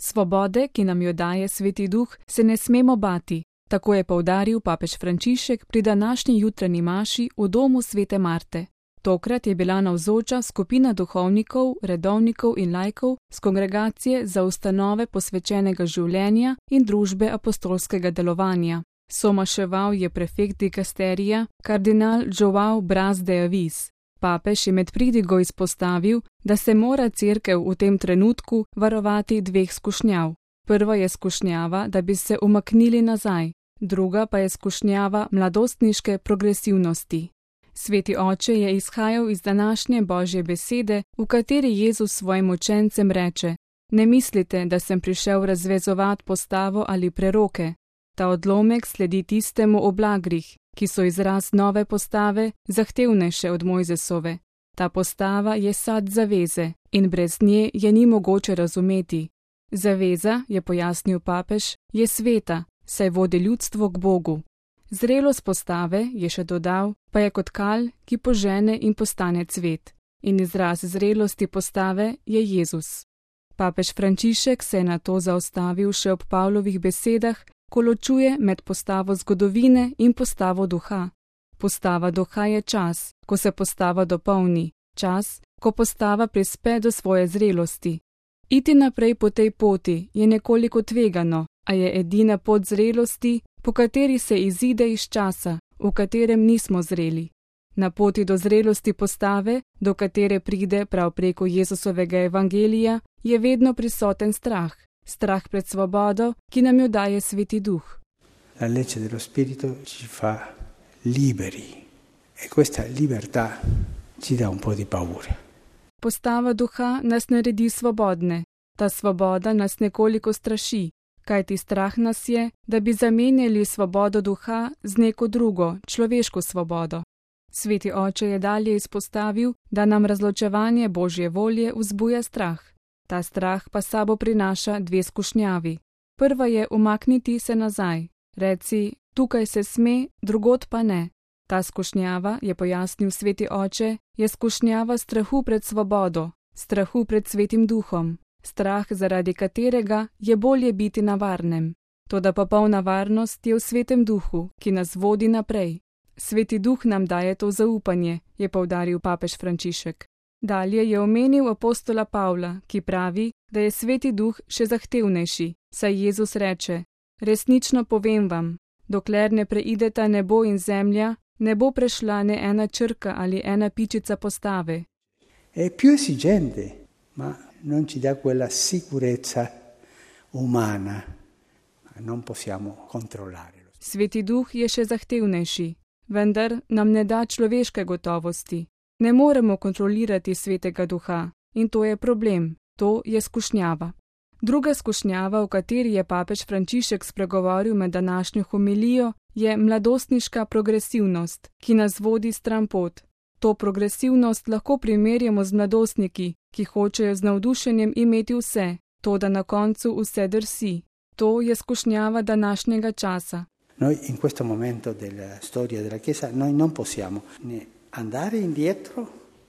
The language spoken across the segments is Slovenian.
Svobode, ki nam jo daje Sveti Duh, se ne smemo bati, tako je poudaril papež Frančišek pri današnji jutranji maši v domu svete Marte. Tokrat je bila navzoča skupina duhovnikov, redovnikov in laikov z kongregacije za ustanove posvečenega življenja in družbe apostolskega delovanja. Somaševal je prefekt dikasterija, kardinal João Braz de Avis. Papež je med pridigo izpostavil, da se mora cerkev v tem trenutku varovati dveh skušnjav. Prva je skušnjava, da bi se umaknili nazaj, druga pa je skušnjava mladostniške progresivnosti. Sveti oče je izhajal iz današnje Božje besede, v kateri Jezus svojim učencem reče: Ne mislite, da sem prišel razvezovati postavo ali preroke. Ta odlomek sledi tistemu o blagrih, ki so izraz nove postave, zahtevnejše od Mojzesove. Ta postava je sad zaveze in brez nje je ni mogoče razumeti. Zaveza, je pojasnil papež, je sveta, saj vodi ljudstvo k Bogu. Zrelost postave, je še dodal, pa je kot kal, ki požene in postane cvet. In izraz zrelosti postave je Jezus. Papež Frančišek se je na to zaustavil še ob Pavlovih besedah, ko ločuje med postavo zgodovine in postavo duha. Postava duha je čas, ko se postava dopolni, čas, ko postava prispe do svoje zrelosti. Iti naprej po tej poti je nekoliko tvegano, a je edina pot zrelosti, po kateri se izide iz časa, v katerem nismo zreli. Na poti do zrelosti postave, do katere pride prav preko Jezusovega evangelija, je vedno prisoten strah. Strah pred svobodo, ki nam jo daje Sveti Duh. La legge dello spirito ci fa liberi e questa libertà ci dà un po' di paura. Postava duha nas naredi svobodne. Ta svoboda nas nekoliko straši, kajti strah nas je, da bi zamenjali svobodo duha z neko drugo, človeško svobodo. Sveti oče je dalje izpostavil, da nam razločevanje Božje volje vzbuja strah. Ta strah pa sabo prinaša dve skušnjavi. Prva je umakniti se nazaj. Reci, tukaj se sme, drugod pa ne. Ta skušnjava, je pojasnil Sveti oče, je skušnjava strahu pred svobodo, strahu pred Svetim Duhom. Strah, zaradi katerega je bolje biti na varnem. Toda popolna varnost je v Svetem Duhu, ki nas vodi naprej. Sveti Duh nam daje to zaupanje, je poudaril papež Frančišek. Dalje je omenil apostola Pavla, ki pravi, da je Sveti Duh še zahtevnejši, saj Jezus reče: Resnično povem vam, dokler ne preideta nebo in zemlja, ne bo prešla ne ena črka ali ena pičica postave. È più esigente, ma non ci dà quella sicurezza umana, non possiamo controllare. Sveti Duh je še zahtevnejši, vendar nam ne da človeške gotovosti. Ne moremo kontrolirati Svetega Duha in to je problem, to je skušnjava. Druga skušnjava, o kateri je papež Frančišek spregovoril med današnjo homilijo, je mladostniška progresivnost, ki nas vodi stran pot. To progresivnost lahko primerjamo z mladostniki, ki hočejo z navdušenjem imeti vse, toda na koncu vse drsi. To je skušnjava današnjega časa. Noi in questo momento della storia della Chiesa noi non possiamo ne andare indietro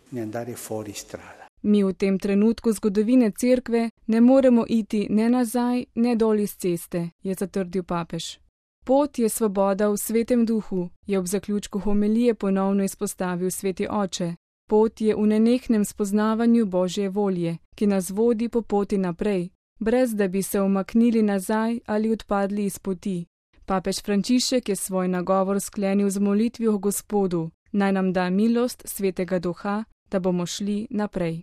ne andare fuori strada. Mi v tem trenutku zgodovine cerkve ne moremo iti ne nazaj, ne dol iz ceste, je zatrdil papež. Pot je svoboda v Svetem Duhu, je ob zaključku homilije ponovno izpostavil Sveti oče. Pot je v nenehnem spoznavanju Božje volje, ki nas vodi po poti naprej, brez da bi se umaknili nazaj ali odpadli iz poti. Papež Frančišek je svoj nagovor sklenil z molitvijo Gospodu, naj nam da milost Svetega Duha, da bomo šli naprej.